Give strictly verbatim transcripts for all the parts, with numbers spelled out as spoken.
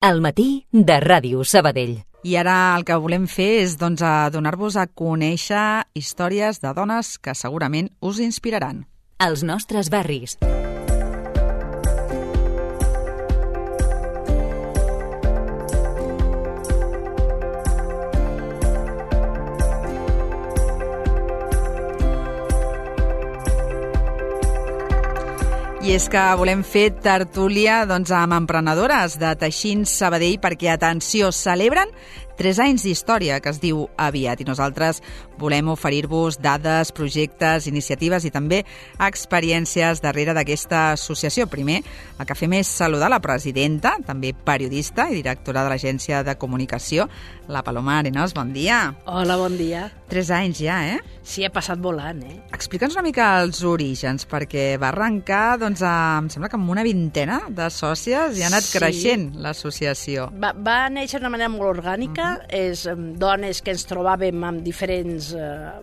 Al matí de Ràdio Sabadell. I ara el que volem fer és doncs, donar-vos a conèixer històries de dones que segurament us inspiraran. Els nostres barris. I és que volem fer tertúlia doncs, amb emprenedores de Teixint Sabadell perquè, atenció, celebren tres anys d'història, que es diu aviat, i nosaltres volem oferir-vos dades, projectes, iniciatives i també experiències darrere d'aquesta associació. Primer, el que fem és saludar la presidenta, també periodista i directora de l'agència de comunicació, la Paloma Arenas. Bon dia. Hola, bon dia. Tres anys ja, eh? Sí, ha passat volant, eh? Explica'ns una mica els orígens, perquè va arrencar, doncs, a, em sembla que amb una vintena de sòcies i ha anat Sí. creixent l'associació. Va, va néixer d'una manera molt orgànica, uh -huh. és um, dones que ens trobàvem amb diferents uh,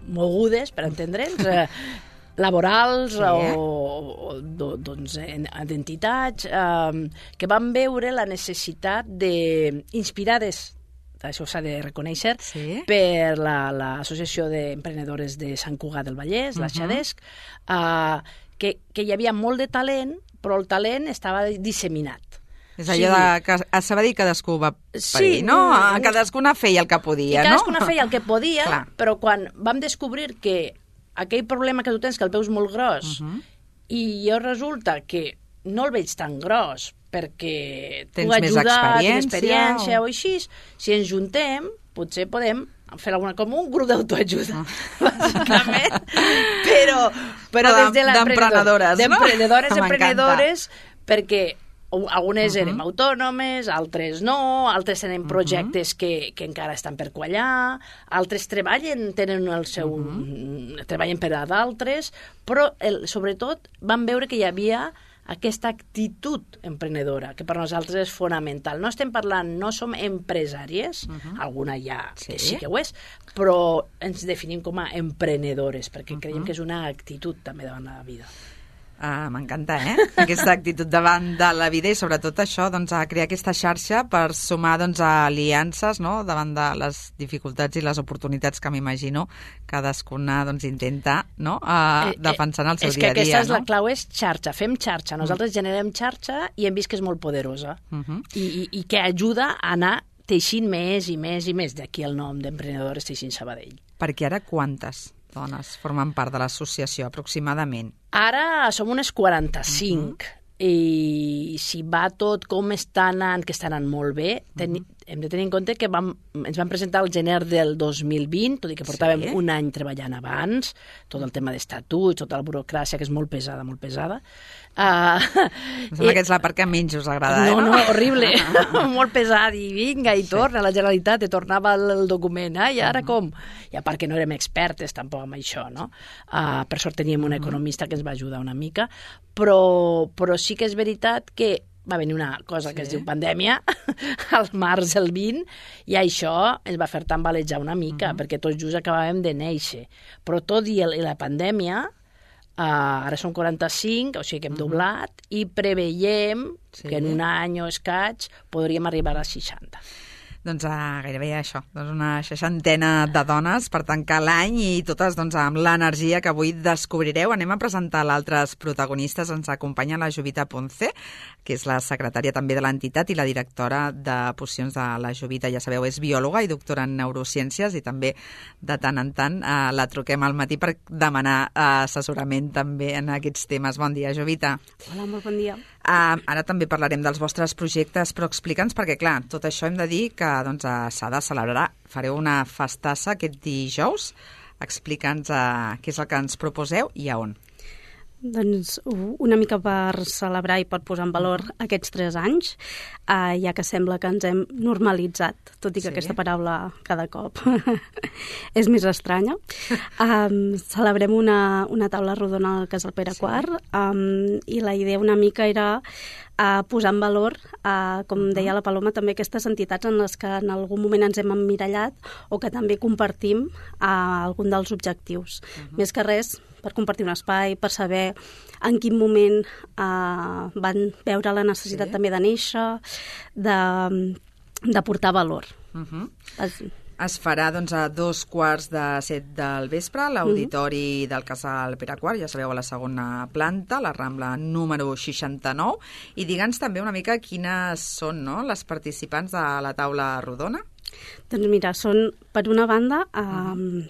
mogudes, per entendre'ns, uh, laborals Sí. o, o doncs, d'entitats, eh, que van veure la necessitat de, inspirades, això s'ha de reconèixer, Sí. per l'Associació d'Emprenedores de Sant Cugat del Vallès, la Uh-huh. Xadesc, eh, que, que hi havia molt de talent, però el talent estava disseminat. És allò de que a Sabadell cadascú va per Sí, ell, no? mm, Cadascuna feia el que podia, I no? cadascuna feia el que podia, Clar. però quan vam descobrir que aquell problema que tu tens, que el peu és molt gros, Uh-huh. i jo resulta que no el veig tan gros, perquè Tens puc més ajudar, experiència tinc experiència o- o... o així, si ens juntem, potser podem fer alguna com un grup d'autoajuda, Ah. bàsicament, però, però Però des de d'emprenedores, no? d'emprenedores, M'encanta. emprenedores, perquè algunes Uh-huh. érem autònomes, altres no, altres tenen projectes uh-huh. que, que encara estan per quallar, altres treballen, tenen el seu... Uh-huh. treballen per a d'altres, però el, sobretot van veure que hi havia aquesta actitud emprenedora, que per nosaltres és fonamental. No estem parlant, no som empresàries, uh-huh. alguna ja sí. que sí que ho és, però ens definim com a emprenedores, perquè uh-huh. creiem que és una actitud també davant la vida. Ah, m'encanta, eh? Aquesta actitud davant de la vida i sobretot això, doncs, a crear aquesta xarxa per sumar, doncs, aliances, no?, davant de les dificultats i les oportunitats que m'imagino cadascuna, doncs, intenta, no?, a Eh, defensar en el seu és dia a dia, que aquesta és no? la clau, és xarxa, fem xarxa. Nosaltres mm. generem xarxa i hem vist que és molt poderosa Uh-huh. I, i, i que ajuda a anar teixint més i més i més, d'aquí el nom d'Emprenedores Teixint Sabadell. Perquè ara quantes dones formen part de l'associació, aproximadament? Ara som unes quaranta-cinc uh-huh. i si va tot com està anant, que està anant molt bé, ten, uh-huh. hem de tenir en compte que vam, ens vam presentar al gener del dos mil vint, tot i que portàvem Sí. un any treballant abans, tot el tema d'estatuts, tota la burocràcia, que és molt pesada, molt pesada. Uh, Em sembla que és la part que menys us agrada, no, eh? no, horrible, molt pesat, i vinga, i torna, la Generalitat, te tornava el, el document, eh? I ara com? I a part que no érem expertes tampoc amb això, no? Uh, per sort teníem un economista que ens va ajudar una mica, però, però sí que és veritat que va venir una cosa que Sí. es diu pandèmia, al març del vint, i això ens va fer tambalejar una mica, uh-huh. perquè tots just acabàvem de néixer. Però tot i, el, i la pandèmia, Uh, ara són quaranta-cinc, o sigui que hem uh-huh. doblat, i preveiem Sí. que en un any o escaig podríem arribar a seixanta. Doncs uh, gairebé això, doncs una seixantena de dones per tancar l'any i totes doncs, amb l'energia que avui descobrireu. Anem a presentar l'altres protagonistes. Ens acompanya la Jovita Ponce, que és la secretària també de l'entitat i la directora de pocions de la Jovita. Ja sabeu, és biòloga i doctora en neurociències i també de tant en tant uh, la truquem al matí per demanar uh, assessorament també en aquests temes. Bon dia, Jovita. Hola, molt bon dia. Uh, ara també parlarem dels vostres projectes, però explica'ns, perquè clar, tot això hem de dir que doncs, uh, s'ha de celebrar. Fareu una festassa aquest dijous. Explica'ns uh, què és el que ens proposeu i a on. Doncs una mica per celebrar i per posar en valor aquests tres anys, eh, ja que sembla que ens hem normalitzat, tot i que Sí. aquesta paraula cada cop és més estranya. Um, celebrem una, una taula rodona al Casal Pere Sí. quart um, i la idea una mica era uh, posar en valor, uh, com deia la Paloma, també aquestes entitats en les que en algun moment ens hem emmirallat o que també compartim uh, algun dels objectius. Uh-huh. Més que res, per compartir un espai, per saber en quin moment uh, van veure la necessitat sí. també de néixer, de, de portar valor. Uh-huh. Es, Es farà doncs, a dos quarts de set del vespre a l'auditori mm-hmm. del Casal Pere quart, ja sabeu, a la segona planta, la Rambla número seixanta-nou. I digue'ns també una mica quines són, no?, les participants de la taula rodona. Doncs mira, són, per una banda, eh,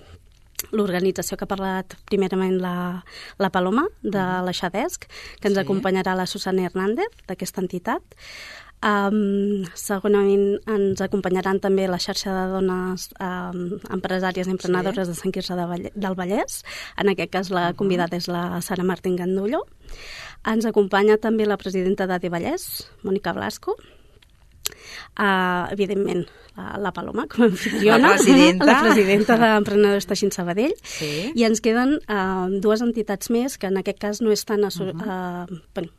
l'organització que ha parlat primerament la, la Paloma, de la Xadesc, que ens sí. acompanyarà la Susana Hernández, d'aquesta entitat. Um, segurament ens acompanyaran també la xarxa de dones um, empresàries i emprenedores sí. de Sant Quirze de Valle, del Vallès. En aquest cas la convidada és la Sara Martín Gandullo. Ens acompanya també la presidenta d'A D Vallès, Mònica Blasco. Uh, evidentment, la, la Paloma, com a anfitriona, la presidenta, la presidenta d'Emprenedors Teixint Sabadell. Sí. I ens queden uh, dues entitats més, que en aquest cas no és tan... Uh-huh. Uh, bueno,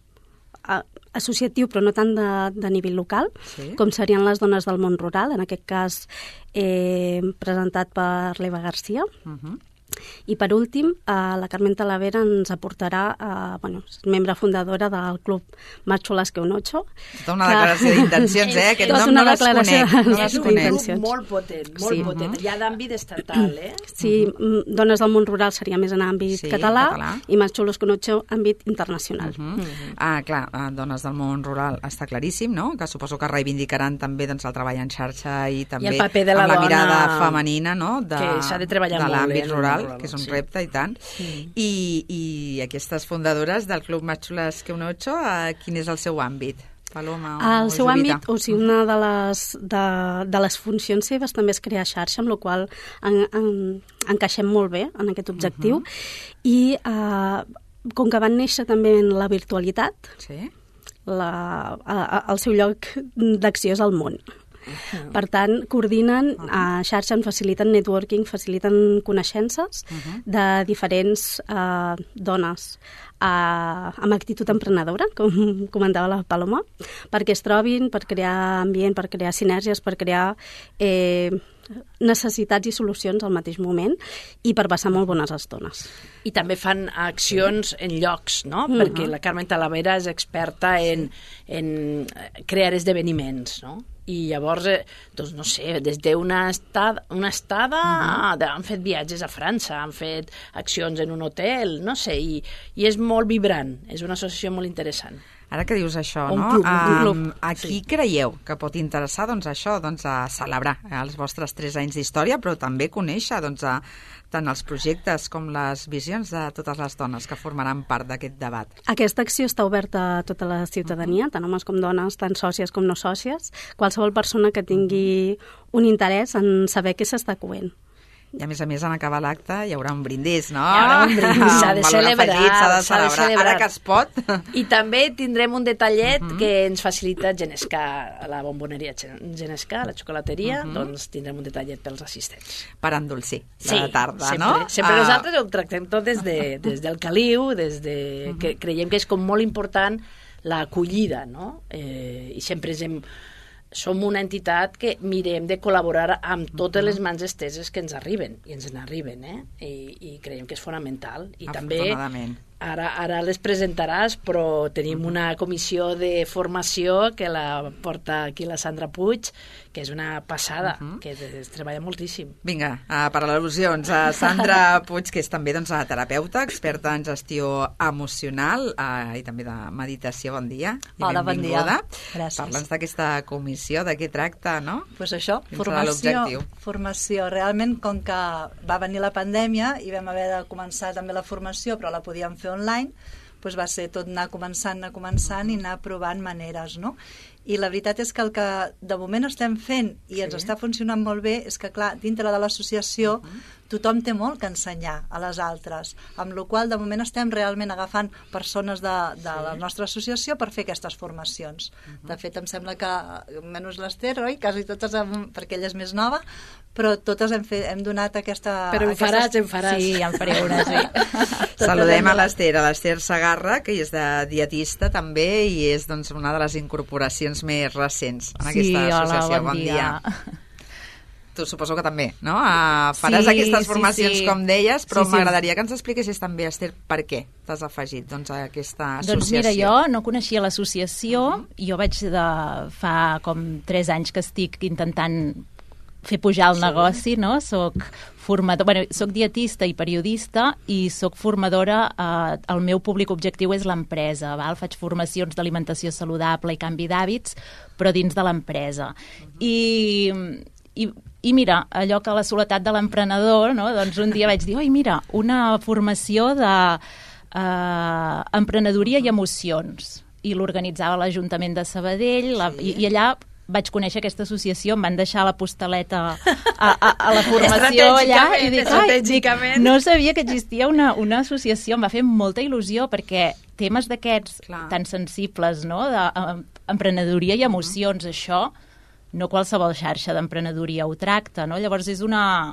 associatiu, però no tant de, de nivell local, sí. com serien les dones del món rural, en aquest cas eh, presentat per l'Eva Garcia. Uh-huh. I per últim, eh, la Carmen Talavera ens aportarà, eh, bueno, és membre fundadora del club Machulas que un ocho. Tota una declaració d'intencions, eh? Aquest nom no les conec. No les és un conec. grup molt potent, molt sí. potent. Uh-huh. Hi ha d'àmbit estatal, eh? Sí, uh-huh. dones del món rural seria més en àmbit sí, català, català i Machulas que un ocho àmbit internacional. Uh-huh. Uh-huh. Ah, clar, dones del món rural està claríssim, no? Que suposo que reivindicaran també doncs, el treball en xarxa i també I el paper de la, la dona mirada femenina, no? De, que s'ha de treballar de molt l'àmbit bé, rural, rural, que és un sí. repte i tant. Sí. I, I aquestes fundadores del Club Machulas que un ocho, eh, quin és el seu àmbit? Paloma o, el o seu Jovita? àmbit, o sigui, una de les, de, de les funcions seves també és crear xarxa, amb la qual en, en, encaixem molt bé en aquest objectiu. Uh-huh. I eh, com que van néixer també en la virtualitat, sí. la, a, a, el seu lloc d'acció és el món. Uh-huh. Per tant, coordinen uh-huh. a xarxa, en faciliten networking, faciliten coneixences uh-huh. de diferents uh, dones uh, amb actitud emprenedora, com comentava la Paloma, perquè es trobin, per crear ambient, per crear sinergies, per crear eh, necessitats i solucions al mateix moment i per passar molt bones estones. I també fan accions en llocs, no? Uh-huh. Perquè la Carmen Talavera és experta en, en crear esdeveniments, no? I llavors, eh, doncs no sé, des d'una estada, una estada uh-huh. han fet viatges a França, han fet accions en un hotel, no sé, i, i és molt vibrant, és una associació molt interessant. Ara que dius això, un no? Club, un club. Um, a qui sí. creieu que pot interessar doncs, això, doncs, a celebrar els vostres tres anys d'història, però també conèixer doncs, a, tant els projectes com les visions de totes les dones que formaran part d'aquest debat? Aquesta acció està oberta a tota la ciutadania, tant homes com dones, tant sòcies com no sòcies, qualsevol persona que tingui un interès en saber què s'està coent. I a més a més, en acabar l'acte hi haurà un brindis, no? Hi haurà un brindis, s'ha de celebrar. S'ha de celebrar, ara que es pot. I també tindrem un detallet uh-huh. que ens facilita Genescà, la bomboneria Genescà, la xocolateria, uh-huh. doncs tindrem un detallet pels assistents. Per endolcir sí, la tarda, sempre, no? Sempre ah. nosaltres ho tractem tot des, de, des del caliu, des de, uh-huh. que creiem que és com molt important l'acollida, no? Eh, I sempre hem... som una entitat que mirem de col·laborar amb totes les mans esteses que ens arriben, i ens n'arriben, eh? I, i creiem que és fonamental. I també, ara, ara les presentaràs, però tenim una comissió de formació que la porta aquí la Sandra Puig, que és una passada, uh-huh. que es treballa moltíssim. Vinga, uh, per al·lusions, uh, Sandra Puig, que és també doncs, terapeuta, experta en gestió emocional uh, i també de meditació. Bon dia. Hola, bon dia. Gràcies. Parla'ns d'aquesta comissió, de què tracta, no? Doncs pues això, formació, formació. Realment, com que va venir la pandèmia i vam haver de començar també la formació, però la podíem fer online, doncs va ser tot anar començant, anar començant i anar provant maneres, no? I la veritat és que el que de moment estem fent i ens sí. està funcionant molt bé és que, clar, dintre de l'associació uh-huh. tothom té molt que ensenyar a les altres, amb la qual de moment estem realment agafant persones de, de sí. la nostra associació per fer aquestes formacions. Uh-huh. De fet, em sembla que, menys l'Ester, oi? Quasi totes, perquè ella és més nova, però totes hem, fet, hem donat aquesta... Però em faràs, aquestes... em faràs. Sí, em faré una, sí. Saludem a l'Ester, a l'Ester Segarra, que és de dietista també i és doncs, una de les incorporacions més recents en sí, aquesta associació. Hola, bon, bon dia. dia. tu suposo que també, no? Uh, faràs Sí, aquestes sí, formacions, sí. com deies, però Sí, sí. m'agradaria que ens expliquessis també, Esther, per què t'has afegit doncs, a aquesta associació. Doncs mira, jo no coneixia l'associació, uh-huh. jo vaig de fa com tres anys que estic intentant fer pujar el sí. negoci, no? Soc formador, bueno, soc dietista i periodista i soc formadora, eh, el meu públic objectiu és l'empresa, val? Faig formacions d'alimentació saludable i canvi d'hàbits, però dins de l'empresa. Uh-huh. I, i, I mira, allò que la soledat de l'emprenedor, no? Doncs un dia vaig dir, oi, mira, una formació de eh, emprenedoria i emocions. I l'organitzava l'Ajuntament de Sabadell, la, sí. i, i allà vaig conèixer aquesta associació, em van deixar la postaleta a, a, a la formació allà i dic, ai, dic, no sabia que existia una, una associació, em va fer molta il·lusió perquè temes d'aquests tan sensibles, no?, d'emprenedoria i emocions, uh-huh. això no qualsevol xarxa d'emprenedoria ho tracta, no? Llavors és una,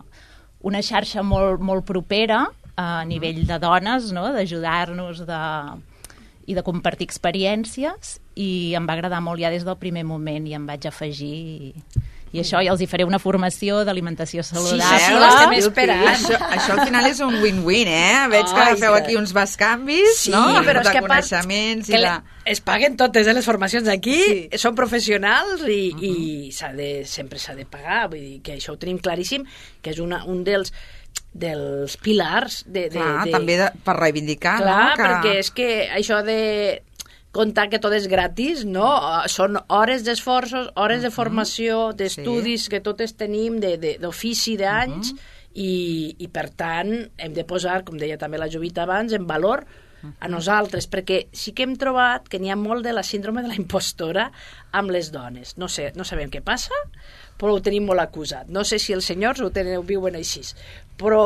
una xarxa molt, molt propera a nivell de dones, no?, d'ajudar-nos, de... i de compartir experiències, i em va agradar molt ja des del primer moment i em vaig afegir i, i això, i els hi faré una formació d'alimentació saludable. Sí, sí, l'estem esperant. Això, això al final és un win-win, eh? Veig que oh, feu aquí uns bescanvis, sí, no? Però de és que coneixements que i de... es paguen totes eh, les formacions aquí, sí. Són professionals i, uh-huh. i s'ha de, sempre s'ha de pagar, vull dir que això ho tenim claríssim, que és una, un dels dels pilars de, de, clar, de... també de, per reivindicar, clar, no? Que... perquè és que això de contar que tot és gratis, no? Són hores d'esforços, hores uh-huh. de formació, d'estudis sí. que totes tenim, d'ofici d'anys, uh-huh. i, i per tant hem de posar, com deia també la Jovita abans, en valor a nosaltres, perquè sí que hem trobat que n'hi ha molt de la síndrome de la impostora amb les dones. No sé, no sabem què passa, però ho tenim molt acusat. No sé si els senyors ho, tenen, ho viuen així, però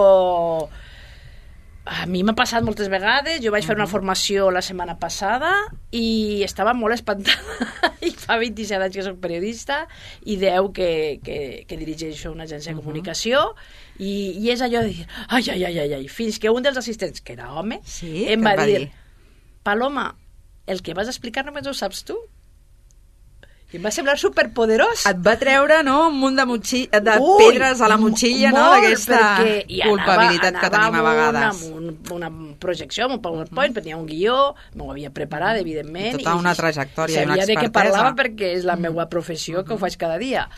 a mi m'ha passat moltes vegades. Jo vaig fer una formació la setmana passada i estava molt espantada. I fa vint-i-set anys que soc periodista i deu que, que, que dirigeixo una agència de comunicació i, i és allò de dir ai, ai, ai, ai, ai, fins que un dels assistents, que era home, sí, em va, va dir, dir Paloma, el que vas explicar només ho saps tu. I em va semblar superpoderós. Et va treure, no?, un munt de, motxi... de Ui, pedres a la motxilla, no?, d'aquesta culpabilitat anava, que tenim a vegades. Amb una, una projecció, amb un PowerPoint, uh-huh. tenia un guió, m'ho havia preparat, evidentment. I tota una trajectòria i una expertesa. Sabia de què parlava perquè és la meva professió, que ho faig cada dia.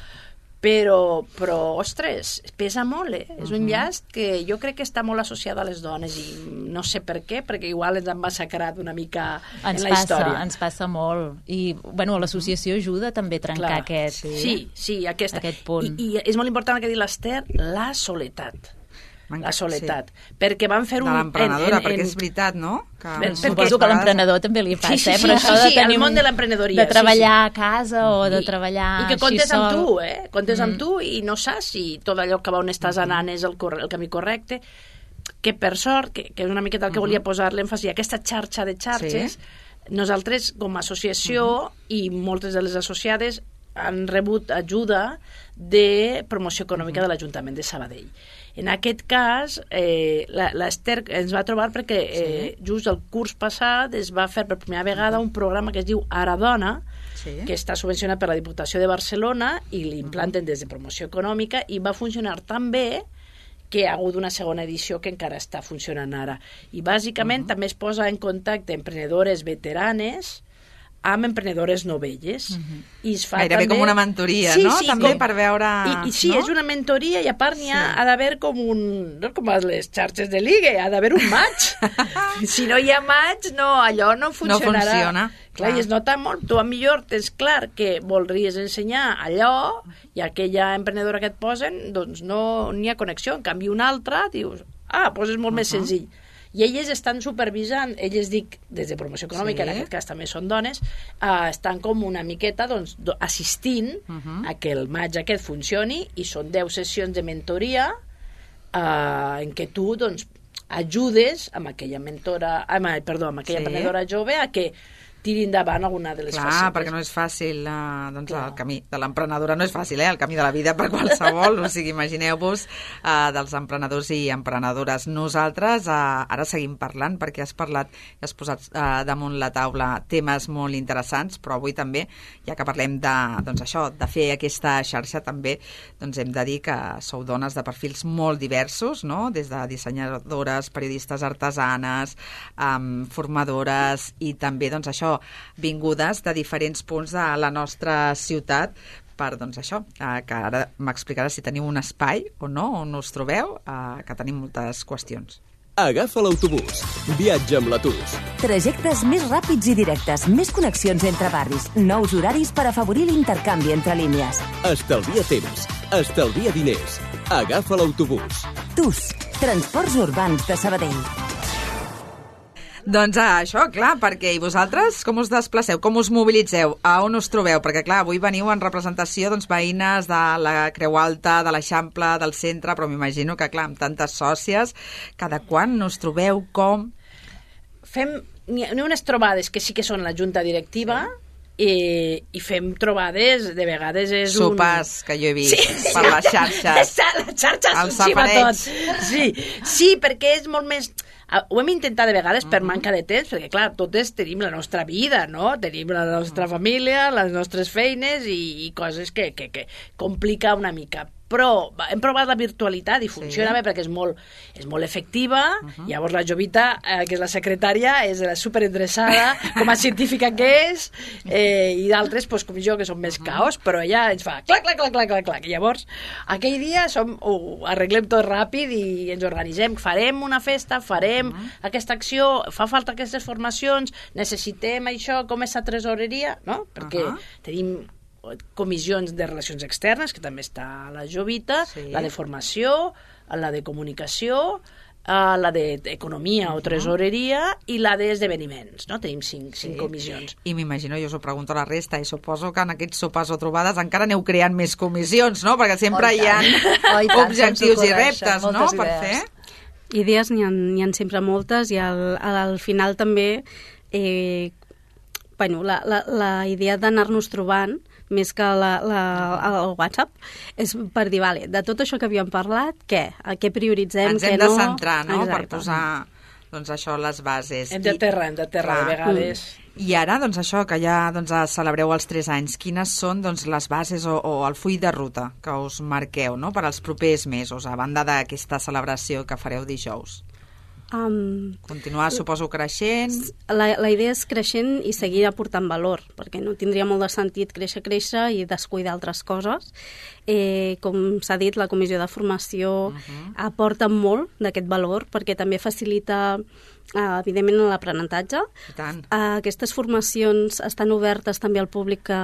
Però, però, ostres, pesa molt, eh? És un llast que jo crec que està molt associat a les dones i no sé per què, perquè igual ens han massacrat una mica ens en la passa, història. Ens passa molt. I, bueno, l'associació ajuda també a trencar Clar, aquest, sí, sí, aquesta, aquest punt. I, I és molt important el que ha dit l'Ester, la soledat. La soledat. Sí. Perquè van fer un... De l'emprenedora, en, en, perquè en... és veritat, no? Que Ben, Suposo que a l'emprenedor també li passa, sí, sí, eh? Però sí, això sí, de sí, tenir el món un... de l'emprenedoria. De treballar sí, sí. a casa o de I, treballar i que comptes així sol. amb tu, eh? Comptes mm. amb tu i no saps si tot allò que va on estàs anant és el, el camí correcte. Que per sort, que, que és una miqueta el que uh-huh. volia posar l'èmfasi, aquesta xarxa de xarxes, sí. nosaltres com a associació uh-huh. i moltes de les associades han rebut ajuda de promoció econòmica uh-huh. de l'Ajuntament de Sabadell. En aquest cas, eh, l'Ester ens va trobar perquè eh, sí. just el curs passat es va fer per primera vegada un programa que es diu Ara Dona, sí. que està subvencionat per la Diputació de Barcelona i l'implanten des de promoció econòmica i va funcionar tan bé que ha hagut una segona edició que encara està funcionant ara. I bàsicament uh-huh. també es posa en contacte emprenedores veteranes amb emprenedores novelles. Uh-huh. I es fa gairebé també... com una mentoria, sí, no? Sí, també com... per veure... I, i sí, no? és una mentoria i a part n'hi ha, sí. ha d'haver com un... No com a les xarxes de ligue, ha d'haver un match. Si no hi ha match, no, allò no funcionarà. No funciona. Clar, clar. I es nota molt. Tu a millor tens clar que voldries ensenyar allò i aquella emprenedora que et posen, doncs no n'hi ha connexió. En canvi, una altra, dius, ah, doncs és molt uh-huh. més senzill. I elles estan supervisant, elles dic des de promoció econòmica, sí. en aquest cas també són dones, uh, estan com una miqueta doncs, assistint uh-huh. a que el maig aquest funcioni i són deu sessions de mentoria uh, en què tu doncs, ajudes amb aquella mentora, amb, perdó, amb aquella sí. emprenedora jove a que tiri endavant alguna de les Clar, facetes. perquè no és fàcil, uh, doncs Clar. el camí de l'emprenedora no és fàcil, eh? El camí de la vida per qualsevol, o sigui, imagineu-vos uh, dels emprenedors i emprenedores. Nosaltres uh, ara seguim parlant, perquè has parlat i has posat uh, damunt la taula temes molt interessants, però avui també, ja que parlem de, doncs això, de fer aquesta xarxa, també doncs hem de dir que sou dones de perfils molt diversos, no? Des de dissenyadores, periodistes artesanes, um, formadores i també, doncs això, vingudes de diferents punts de la nostra ciutat per, doncs això, eh, que ara m'explicaràs si teniu un espai o no, on us trobeu, eh, que tenim moltes qüestions. Agafa l'autobús. Viatja amb la T U S. Trajectes més ràpids i directes, més connexions entre barris, nous horaris per afavorir l'intercanvi entre línies. Estalvia temps. Estalvia diners. Agafa l'autobús. T U S, Transports Urbans de Sabadell. Doncs ah, això, clar, perquè i vosaltres com us desplaceu, com us mobilitzeu, a on us trobeu? Perquè clar, avui veniu en representació doncs, veïnes de la Creu Alta, de l'Eixample, del centre, però m'imagino que clar, amb tantes sòcies, cada quan us trobeu, com? Fem, n'hi ha unes trobades que sí que són la junta directiva, i, i fem trobades, de vegades és un... Sopars, que jo he vist, sí, per sí. les xarxes. Les xarxes els s'hi va safareig. tot. Sí, sí, perquè és molt més... Ho hem intentat de vegades per manca de temps, perquè, clar, totes tenim la nostra vida, no? Tenim la nostra família, les nostres feines i, i coses que, que, que complica una mica. Però hem provat la virtualitat i funciona sí. bé perquè és molt, és molt efectiva. Uh -huh. Llavors la Jovita, eh, que és la secretària, és superinteressada, com a científica que és, eh, i d'altres, pues, com jo, que són més caos, però ella ens fa clac, clac, clac, clac, clac, clac. I llavors, aquell dia som, ho arreglem tot ràpid i ens organitzem. Farem una festa, farem uh -huh. aquesta acció, fa falta aquestes formacions, necessitem això, com és la tresoreria, no? Perquè uh -huh. tenim comissions de relacions externes, que també està la Jovita, sí. la de formació, la de comunicació, la d'economia uh -huh. o tresoreria i la d'esdeveniments, no? Tenim cinc, sí. cinc comissions. I m'imagino, jo us ho pregunto a la resta, i suposo que en aquests sopars o trobades encara aneu creant més comissions, no? Perquè sempre oh, hi ha oh, tant, objectius i reptes, no?, idees. Per fer. Idees n'hi ha, n'hi ha sempre moltes i al, al final també eh, bueno, la, la, la idea d'anar-nos trobant més que la, la, el WhatsApp, és per dir, vale, de tot això que havíem parlat, què? Què prioritzem, Ens què hem no? de centrar, no?, Exacte. per posar, doncs això, les bases. Hem de terra, hem de terra, de vegades. I ara, doncs això, que ja doncs, celebreu els tres anys, quines són doncs, les bases o, o el full de ruta que us marqueu, no?, per als propers mesos, a banda d'aquesta celebració que fareu dijous? Um, Continuar, suposo, creixent... La, la idea és creixent i seguir aportant valor, perquè no tindria molt de sentit créixer, créixer i descuidar altres coses. Eh, com s'ha dit, la comissió de formació uh -huh. aporta molt d'aquest valor, perquè també facilita, eh, evidentment, l'aprenentatge. I tant. Eh, aquestes formacions estan obertes també al públic que,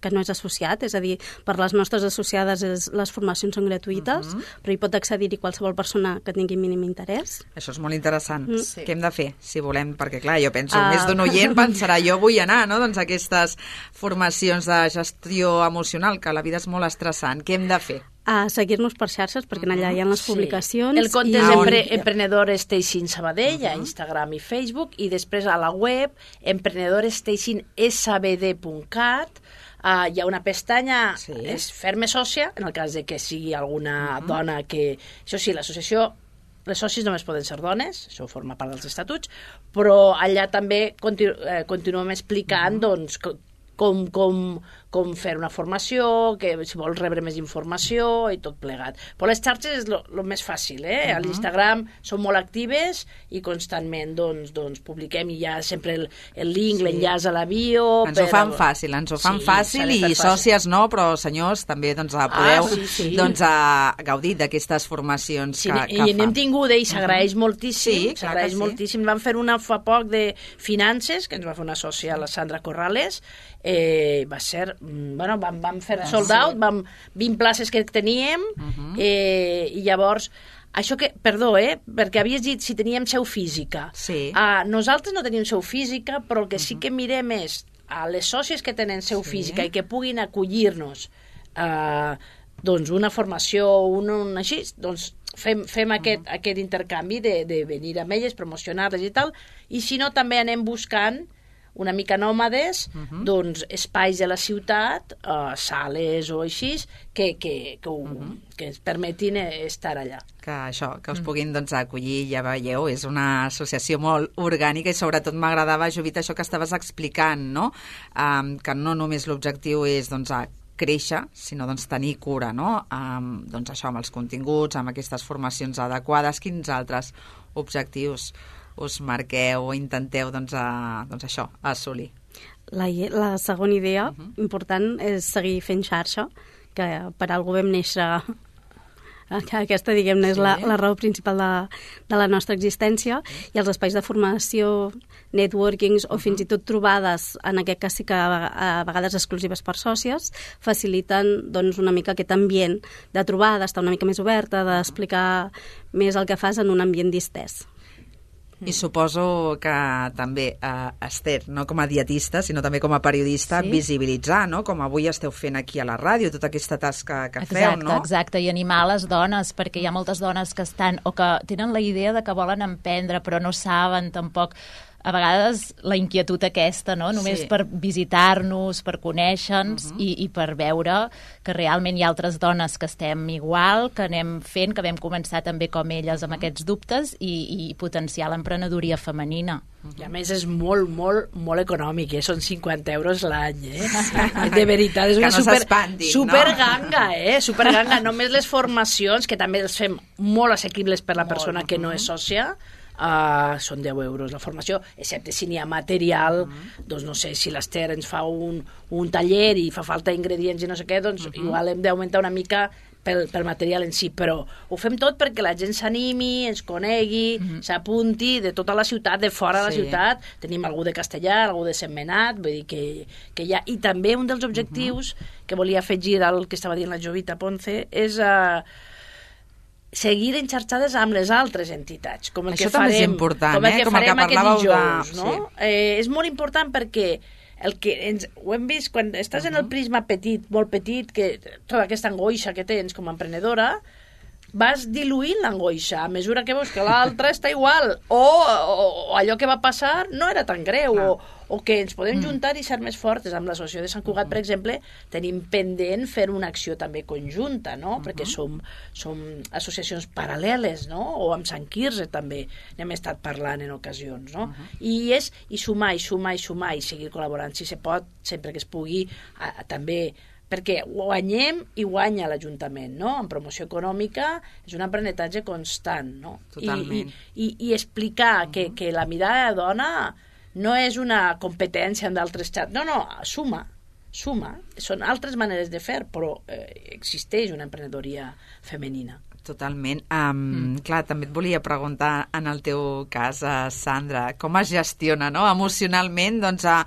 que no és associat, és a dir, per les nostres associades és, les formacions són gratuïtes, uh -huh. però hi pot accedir-hi qualsevol persona que tingui mínim interès. Això és molt interessant. Mm. Sí. Què hem de fer, si volem? Perquè, clar, jo penso, Uh... més d'un oient pensarà, jo vull anar, no?, doncs a aquestes formacions de gestió emocional, que la vida és molt estressant. Què hem de fer? A seguir-nos per xarxes, perquè uh -huh. allà hi ha les sí. publicacions. El compte i... és empre Emprenedor Station Sabadell, uh -huh. a Instagram i Facebook, i després a la web emprenedor station s b d punt cat. Uh, hi ha una pestanya, sí. és fer-me sòcia, en el cas de que sigui alguna uh -huh. dona que... Això sí, l'associació... Les socis només poden ser dones, això forma part dels estatuts, però allà també continu eh, continuem explicant uh -huh. doncs, com, com, com fer una formació, que si vols rebre més informació i tot plegat. Però les xarxes és el més fàcil, eh? Uh -huh. A l'Instagram són molt actives i constantment doncs, doncs, publiquem i hi ha sempre el, el link, sí. l'enllaç a la bio... Ens per... ho fan fàcil, ens ho fan sí, fàcil i fàcil. Sòcies no, però senyors també doncs, podeu ah, sí, sí. doncs, a gaudir d'aquestes formacions sí, que, que i n'hem fan. tingut i s'agraeix uh -huh. moltíssim, sí, s'agraeix sí. moltíssim. Vam fer una fa poc de finances, que ens va fer una sòcia, la Sandra Corrales, eh, va ser... Bueno, vam, vam fer sold out, vam, vint places que teníem, uh -huh. eh, i llavors... Això que, perdó, eh, perquè havies dit si teníem seu física. Sí. Uh, nosaltres no tenim seu física, però el que uh -huh. sí que mirem és a les sòcies que tenen seu sí. física i que puguin acollir-nos uh, doncs una formació, un, un així, doncs fem, fem uh -huh. aquest, aquest intercanvi de, de venir amb elles, promocionar-les i tal, i si no també anem buscant una mica nòmades, uh -huh. doncs espais de la ciutat, uh, sales o així, que, que, que, ho, uh -huh. que ens permetin estar allà. Que això, que us puguin doncs, acollir, ja veieu, és una associació molt orgànica i sobretot m'agradava, Jovita, això que estaves explicant, no? Um, que no només l'objectiu és doncs, a créixer, sinó doncs, tenir cura, no? Um, doncs això, amb els continguts, amb aquestes formacions adequades, quins altres objectius us marqueu o intenteu doncs, a, doncs això, assolir? La, la segona idea uh -huh. important és seguir fent xarxa, que per algú vam néixer, que aquesta, diguem-ne, és sí. la, la raó principal de, de la nostra existència, i els espais de formació, networkings o uh -huh. fins i tot trobades, en aquest cas sí que a, a vegades exclusives per sòcies, faciliten doncs, una mica aquest ambient de trobada, d'estar una mica més oberta, d'explicar més el que fas en un ambient distès. I suposo que també, eh, Esther, no com a dietista, sinó també com a periodista, sí? visibilitzar, no? Com avui esteu fent aquí a la ràdio, tota aquesta tasca que exacte, feu, no? Exacte, i animar les dones, perquè hi ha moltes dones que estan, o que tenen la idea de que volen emprendre, però no saben tampoc. A vegades la inquietud aquesta, no? Només sí. per visitar-nos, per conèixer-nos uh -huh. i, i per veure que realment hi ha altres dones que estem igual, que anem fent, que vam començar també com elles amb uh -huh. aquests dubtes i, i potenciar l'emprenedoria femenina. Uh -huh. I a més és molt, molt, molt econòmic, eh? Són cinquanta euros l'any, eh? De veritat, és una no super, s'espandin, super no? ganga, eh? Super ganga. Només les formacions, que també les fem molt assequibles per la molt, persona que uh -huh. no és sòcia, Uh, són deu euros la formació, excepte si n'hi ha material, uh -huh. doncs no sé, si l'Ester ens fa un, un taller i fa falta ingredients i no sé què, doncs uh -huh. igual hem d'augmentar una mica pel, pel material en si, però ho fem tot perquè la gent s'animi, ens conegui, uh -huh. s'apunti de tota la ciutat, de fora de sí. la ciutat, tenim algú de Castellar, algú de Sentmenat, vull dir que, que hi ha... I també un dels objectius uh -huh. que volia afegir al que estava dient la Jovita Ponce és... Uh, seguir enxarxades amb les altres entitats, com el Això que farem, és important, com el que eh? com farem el que aquest dijous, de... no? Sí. Eh, és molt important perquè el que ens, ho hem vist quan estàs uh -huh. en el prisma petit, molt petit, que tota aquesta angoixa que tens com a emprenedora, vas diluint l'angoixa a mesura que veus que l'altra està igual, o, o, o allò que va passar no era tan greu, ah. o, o que ens podem juntar i ser més fortes. Amb l'associació de Sant Cugat, per exemple, tenim pendent fer una acció també conjunta, no? Uh -huh. Perquè som, som associacions paral·leles, no? O amb Sant Quirze també n'hem estat parlant en ocasions, no? Uh -huh. I és i sumar, i sumar, i sumar, i seguir col·laborant, si se pot, sempre que es pugui, a, a, també... perquè guanyem i guanya l'Ajuntament, no? En promoció econòmica és un aprenentatge constant, no? Totalment. I, i, i explicar uh-huh. que, que la mirada de dona no és una competència amb d'altres xats, no, no, suma, suma. Són altres maneres de fer, però eh, existeix una emprenedoria femenina. Totalment. Um, mm. Clar, també et volia preguntar, en el teu cas, uh, Sandra, com es gestiona, no?, emocionalment, doncs, a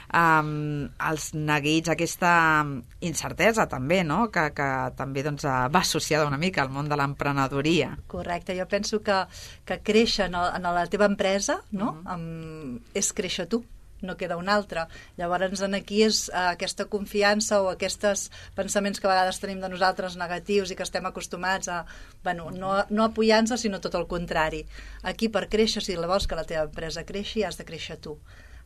Um, els neguits, aquesta incertesa també, no? que, que també doncs, va associada una mica al món de l'emprenedoria. Correcte, jo penso que, que créixer en, el, en la teva empresa, no? uh-huh. um, és créixer tu, no queda un altre. Llavors aquí és uh, aquesta confiança o aquests pensaments que a vegades tenim de nosaltres negatius i que estem acostumats a, bueno, no, no apoyar-nos, sinó tot el contrari. Aquí per créixer, si vols que la teva empresa creixi, has de créixer tu.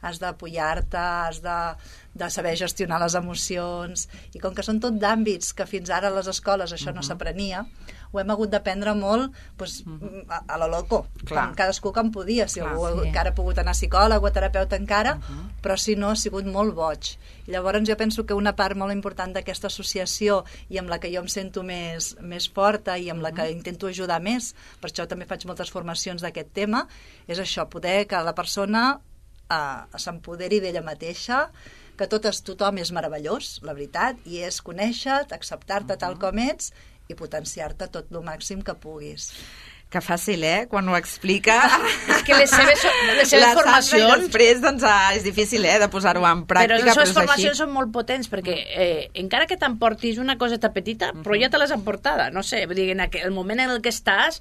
Has d'apoyar-te, has de, de saber gestionar les emocions, i com que són tot d'àmbits que fins ara a les escoles això uh-huh. no s'aprenia, ho hem hagut d'aprendre molt pues, uh-huh. a, a lo loco, Clar. com cadascú com podia, si Clar, algú sí. encara ha pogut anar a psicòleg o a terapeuta encara, uh-huh. però si no ha sigut molt boig. I llavors jo penso que una part molt important d'aquesta associació i amb la que jo em sento més, més forta i amb la que intento ajudar més, per això també faig moltes formacions d'aquest tema, és això, poder que la persona Uh, s'empoderi d'ella mateixa, que tot és, tothom és meravellós, la veritat, i és conèixer-te, acceptar-te uh-huh. tal com ets i potenciar-te tot el màxim que puguis. Que fàcil, eh?, quan ho explica. És que les seves, les seves la formacions... Sandra, després, doncs, ah, és difícil, eh?, de posar-ho en pràctica, però les seves però formacions així. són molt potents, perquè eh, encara que t'emportis una coseta petita, uh-huh. però ja te l'has emportada, no sé, vull dir, en aquell, el moment en el que estàs...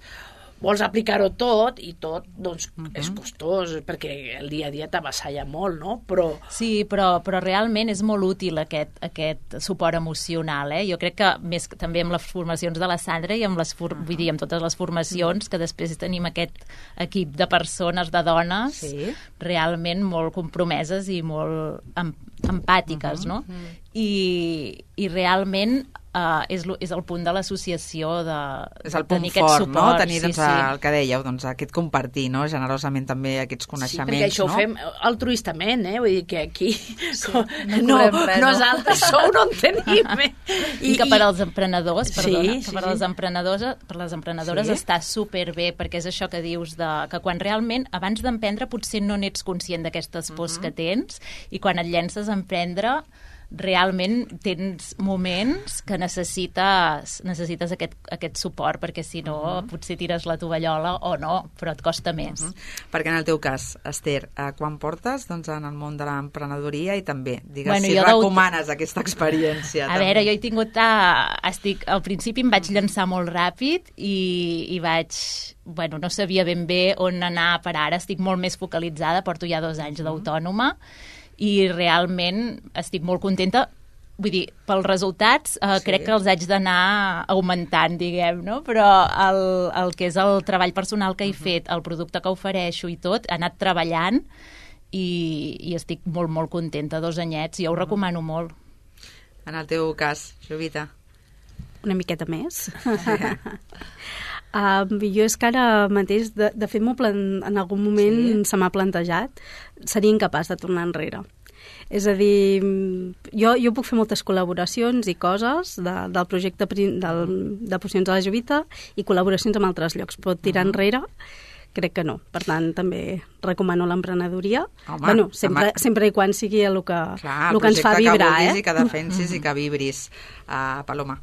vols aplicar-ho tot i tot, doncs, Uh-huh. és costós, perquè el dia a dia t'avassalla molt, no? Però Sí, però, però realment és molt útil aquest, aquest suport emocional. Eh? Jo crec que més que també amb les formacions de la Sandra i amb, les for vull dir, amb totes les formacions, que després tenim aquest equip de persones, de dones, Sí. realment molt compromeses i molt em empàtiques, no? I, i realment uh, és, lo, és el punt de l'associació de, És el de punt tenir aquest fort, suport. no? Tenir, sí, doncs, sí. el que dèieu, doncs, aquest compartir, no? Generosament també aquests sí, coneixements, perquè això no? ho fem altruistament, eh? Vull dir que aquí no no, cobrem res, no? nosaltres sou no en tenim. Eh? I, I que per als emprenedors, Sí, perdona, sí, que per sí. als emprenedors, per les emprenedores Sí? està superbé, perquè és això que dius, de, que quan realment, abans d'emprendre, potser no n'ets conscient d'aquestes pors que tens, i quan et llences a emprendre, realment tens moments que necessites, necessites aquest, aquest suport, perquè si no uh -huh. potser tires la tovallola o no, però et costa més. Uh -huh. Perquè en el teu cas, Esther, eh, quan portes doncs, en el món de l'emprenedoria i també, digues, Bueno, si jo recomanes aquesta experiència. A també. veure, jo he tingut... A, estic, al principi em vaig llançar molt ràpid i, i vaig... Bueno, no sabia ben bé on anar per ara. Estic molt més focalitzada, porto ja dos anys d'autònoma i realment estic molt contenta. Vull dir, pels resultats eh, Sí. crec que els haig d'anar augmentant, diguem, no? Però el, el que és el treball personal que he fet, el producte que ofereixo i tot, he anat treballant i, i estic molt, molt contenta. Dos anyets, jo ho recomano molt. En el teu cas, Jovita. Una miqueta més. Uh, jo és que ara mateix, de, de fet, plan, en algun moment Sí. se m'ha plantejat, seria incapaç de tornar enrere. És a dir, jo, jo puc fer moltes col·laboracions i coses de, del projecte prin- del, de Pocions de la Jovita i col·laboracions amb altres llocs, però tirar enrere crec que no. Per tant, també recomano l'emprenedoria. Home, Bueno, sempre, home. sempre i quan sigui el que, Clar, el que ens fa projecte vibrar, que vulguis eh? i que defensis i que vibris. Uh, Paloma.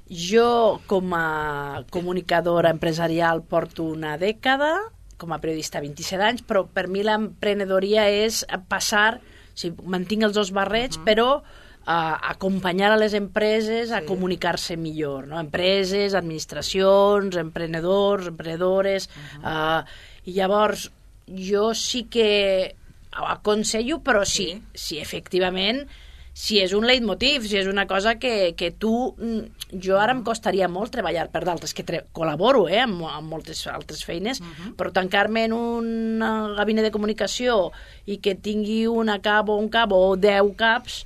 Jo, com a comunicadora empresarial, porto una dècada, com a periodista vint-i-set anys, però per mi l'emprenedoria és passar, o sigui, mantinc els dos barrets, uh -huh. però uh, acompanyar a les empreses a Sí. comunicar-se millor, no? Empreses, administracions, emprenedors, emprenedores... Uh -huh. uh, I llavors, jo sí que aconsello, però sí, Sí. sí, efectivament, si és un leitmotiv, si és una cosa que, que tu... Jo ara em costaria molt treballar per d'altres, que tre col·laboro eh, amb, amb moltes altres feines, uh -huh. però tancar-me en un gabinet de comunicació i que tingui una cap o un cap o deu caps,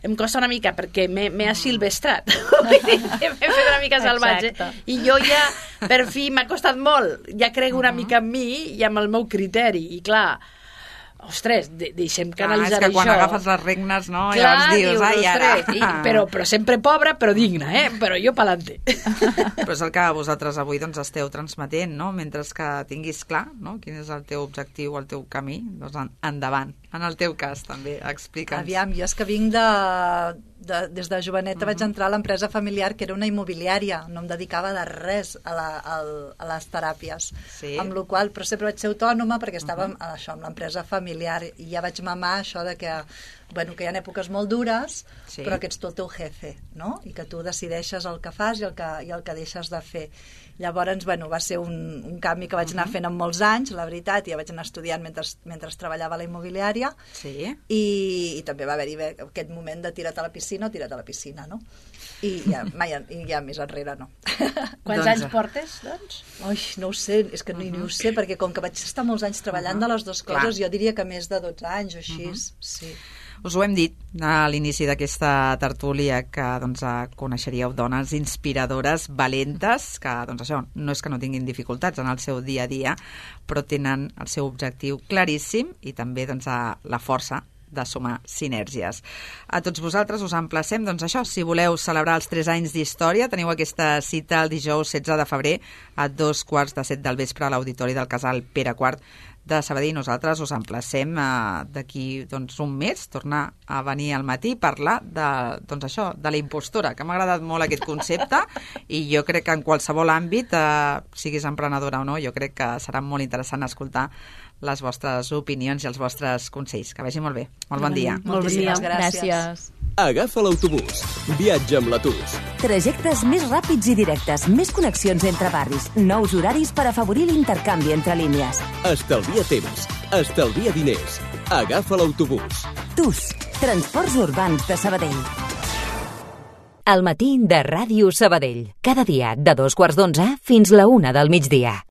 em costa una mica, perquè m'he asilvestrat. M'he fet una mica salvatge. Exacte. I jo ja, per fi, m'ha costat molt. Ja crec una uh -huh. mica en mi i amb el meu criteri. I clar, ostres, de deixem canalitzar Clar, és que quan això. agafes les regnes, no? Clar, Llavors dius, dius, ai, ara... ostres, i, però, però sempre pobra, però digna, eh? Però jo pa'lante. Però és el que vosaltres avui doncs, esteu transmetent, no? Mentre que tinguis clar no? Quin és el teu objectiu, el teu camí, doncs en, endavant. En el teu cas, també, explica'ns. Aviam, jo és que vinc de... de des de joveneta uh -huh. vaig entrar a l'empresa familiar, que era una immobiliària, no em dedicava de res a, la, a, a les teràpies, Sí. amb la qual però sempre vaig ser autònoma perquè estava uh -huh. amb, això, amb l'empresa familiar, i ja vaig mamar això de que, bueno, que hi ha èpoques molt dures, Sí. però que ets tu el teu jefe, no? I que tu decideixes el que fas i el que, i el que deixes de fer. Llavors, bueno, va ser un, un canvi que vaig anar fent en molts anys, la veritat, i ja vaig anar estudiant mentre, mentre treballava a la immobiliària, Sí. i, i també va haver-hi aquest moment de tira't a la piscina o tira't a la piscina, no? I ja, mai, i ja més enrere no. Quants Doncs- anys portes, doncs? Ui, no ho sé, és que ni, ni ho sé, perquè com que vaig estar molts anys treballant de les dues coses, Clar. jo diria que més de dotze anys o així, sí. Us ho hem dit a l'inici d'aquesta tertúlia, que doncs, coneixeríeu dones inspiradores, valentes, que doncs, això no és que no tinguin dificultats en el seu dia a dia, però tenen el seu objectiu claríssim i també doncs, la força de sumar sinergies. A tots vosaltres us emplacem, doncs això, si voleu celebrar els tres anys d'història, teniu aquesta cita el dijous setze de febrer a dos quarts de set del vespre a l'Auditori del Casal Pere quart de Sabadell. Nosaltres us emplacem eh, d'aquí doncs, un mes, tornar a venir al matí i parlar de, doncs, això, de la impostora, que m'ha agradat molt aquest concepte i jo crec que en qualsevol àmbit, eh, siguis emprenedora o no, jo crec que serà molt interessant escoltar les vostres opinions i els vostres consells. Que vagi molt bé. Molt bon dia. Molt bon dia. Moltíssimes gràcies. Gràcies. Agafa l'autobús. Viatja amb la T U S. Trajectes més ràpids i directes, més connexions entre barris, nous horaris per afavorir l'intercanvi entre línies. Estalvia temps, estalvia diners. Agafa l'autobús. TUS, Transports Urbans de Sabadell. Al matí de Ràdio Sabadell. Cada dia de dos quarts d'onze fins la una del migdia.